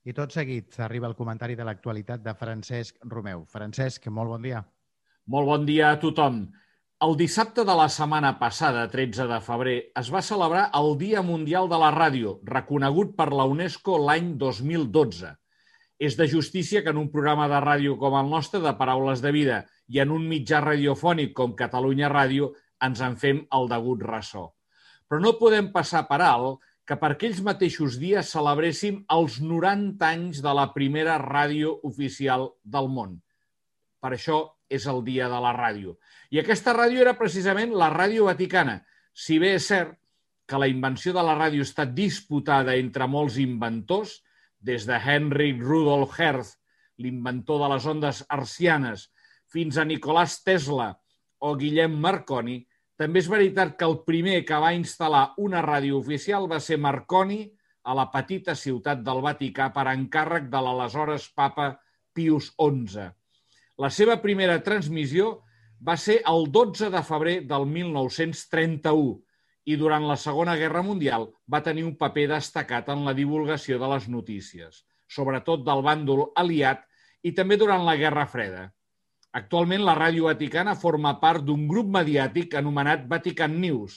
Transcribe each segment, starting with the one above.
I tot seguit arriba el comentari de l'actualitat de Francesc Romeu. Francesc, molt bon dia. Molt bon dia a tothom. El dissabte de la setmana passada, 13 de febrer, es va celebrar el Dia Mundial de la Ràdio, reconegut per la UNESCO l'any 2012. És de justícia que en un programa de ràdio com el nostre, de Paraules de Vida, i en un mitjà radiofònic com Catalunya Ràdio, ens en fem el degut ressò. Però no podem passar per alt que per aquells mateixos dies celebréssim els 90 anys de la primera ràdio oficial del món. Per això és el Dia de la Ràdio. I aquesta ràdio era precisament la Ràdio Vaticana, si bé és cert que la invenció de la ràdio està disputada entre molts inventors, des de Henry Rudolf Hertz, l'inventor de les ondes hertzianes, fins a Nicolás Tesla o Guillem Marconi. També és veritat que el primer que va instal·lar una ràdio oficial va ser Marconi a la petita ciutat del Vaticà per encàrrec de l'aleshores papa Pius XI. La seva primera transmissió va ser el 12 de febrer del 1931 i durant la Segona Guerra Mundial va tenir un paper destacat en la divulgació de les notícies, sobretot del bàndol aliat i també durant la Guerra Freda. Actualment, la Ràdio Vaticana forma part d'un grup mediàtic anomenat Vatican News,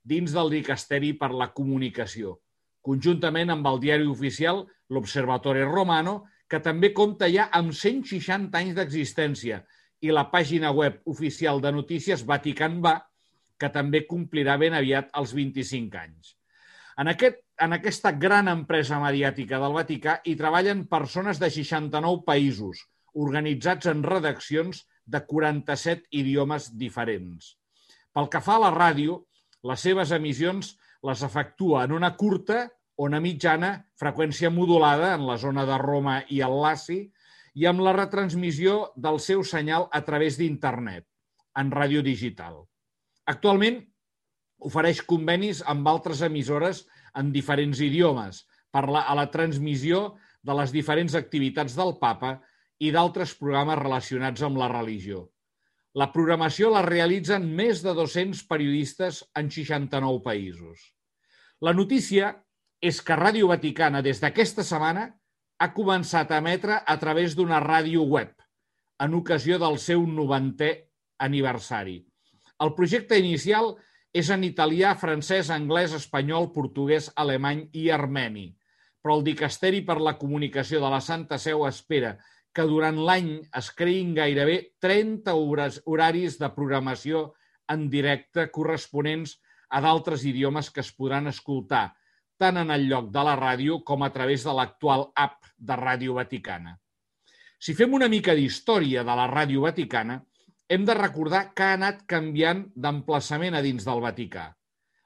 dins del Dicasteri per la Comunicació, conjuntament amb el diari oficial l'Osservatore Romano, que també compta ja amb 160 anys d'existència, i la pàgina web oficial de notícies Vatican Va, que també complirà ben aviat els 25 anys. En aquesta gran empresa mediàtica del Vaticà hi treballen persones de 69 països, organitzats en redaccions de 47 idiomes diferents. Pel que fa a la ràdio, les seves emissions les efectua en una curta o una mitjana freqüència modulada en la zona de Roma i el Laci i amb la retransmissió del seu senyal a través d'internet, en ràdio digital. Actualment ofereix convenis amb altres emissores en diferents idiomes a la transmissió de les diferents activitats del Papa i d'altres programes relacionats amb la religió. La programació la realitzen més de 200 periodistes en 69 països. La notícia és que Ràdio Vaticana, des d'aquesta setmana, ha començat a emetre a través d'una ràdio web, en ocasió del seu 90è aniversari. El projecte inicial és en italià, francès, anglès, espanyol, portuguès, alemany i armeni, però el Dicasteri per la Comunicació de la Santa Seu espera que durant l'any es creïn gairebé 30 horaris de programació en directe corresponents a d'altres idiomes que es podran escoltar, tant en el lloc de la ràdio com a través de l'actual app de Ràdio Vaticana. Si fem una mica d'història de la Ràdio Vaticana, hem de recordar que ha anat canviant d'emplaçament a dins del Vaticà.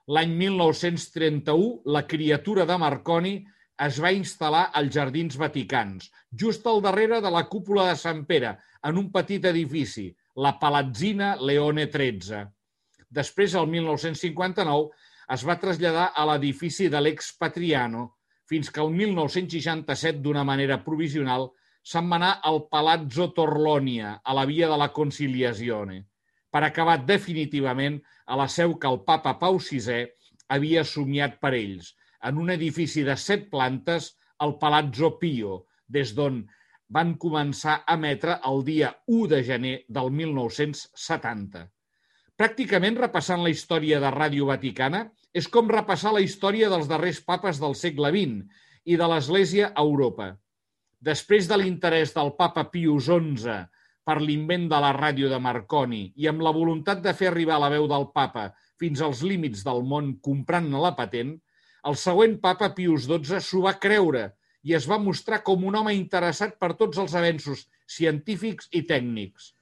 L'any 1931, la criatura de Marconi es va instal·lar als Jardins Vaticans, just al darrere de la cúpula de Sant Pere, en un petit edifici, la Palazzina Leone XIII. Després, el 1959, es va traslladar a l'edifici de l'ex Patriano, fins que el 1967, d'una manera provisional, se'n va anar al Palazzo Torlonia, a la Via de la Conciliazione, per acabar definitivament a la seu que el papa Pau VI havia somiat per ells, en un edifici de 7 plantes, el Palazzo Pio, des d'on van començar a emetre el dia 1 de gener del 1970. Pràcticament repassant la història de Ràdio Vaticana és com repassar la història dels darrers papes del segle XX i de l'Església a Europa. Després de l'interès del papa Pius XI per l'invent de la ràdio de Marconi i amb la voluntat de fer arribar la veu del papa fins als límits del món comprant-ne la patent, el següent papa Pius XII s'ho va creure i es va mostrar com un home interessat per tots els avenços científics i tècnics.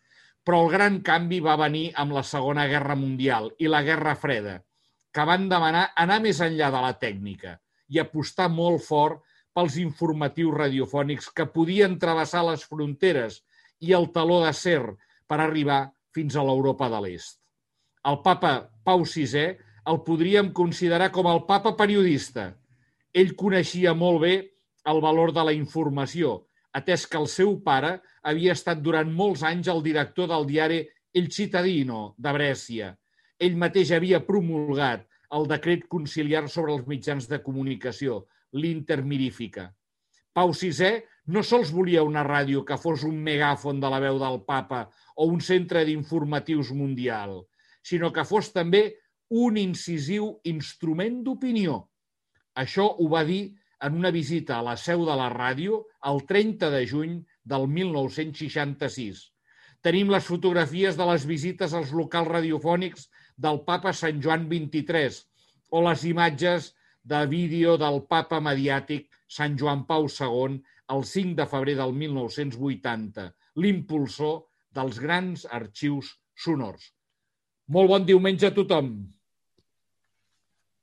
Però el gran canvi va venir amb la Segona Guerra Mundial i la Guerra Freda, que van demanar anar més enllà de la tècnica i apostar molt fort pels informatius radiofònics que podien travessar les fronteres i el teló d'acer per arribar fins a l'Europa de l'Est. El papa Pau VI el podríem considerar com el papa periodista. Ell coneixia molt bé el valor de la informació, atès que el seu pare havia estat durant molts anys el director del diari El Cittadino de Brescia. Ell mateix havia promulgat el decret conciliar sobre els mitjans de comunicació, l'Intermirifica. Pau VI no sols volia una ràdio que fos un megàfon de la veu del papa o un centre d'informatius mundial, sinó que fos també un incisiu instrument d'opinió. Això ho va dir en una visita a la seu de la ràdio el 30 de juny del 1966. Tenim les fotografies de les visites als locals radiofònics del papa Sant Joan XXIII o les imatges de vídeo del papa mediàtic Sant Joan Pau II el 5 de febrer del 1980, l'impulsor dels grans arxius sonors. Molt bon diumenge a tothom!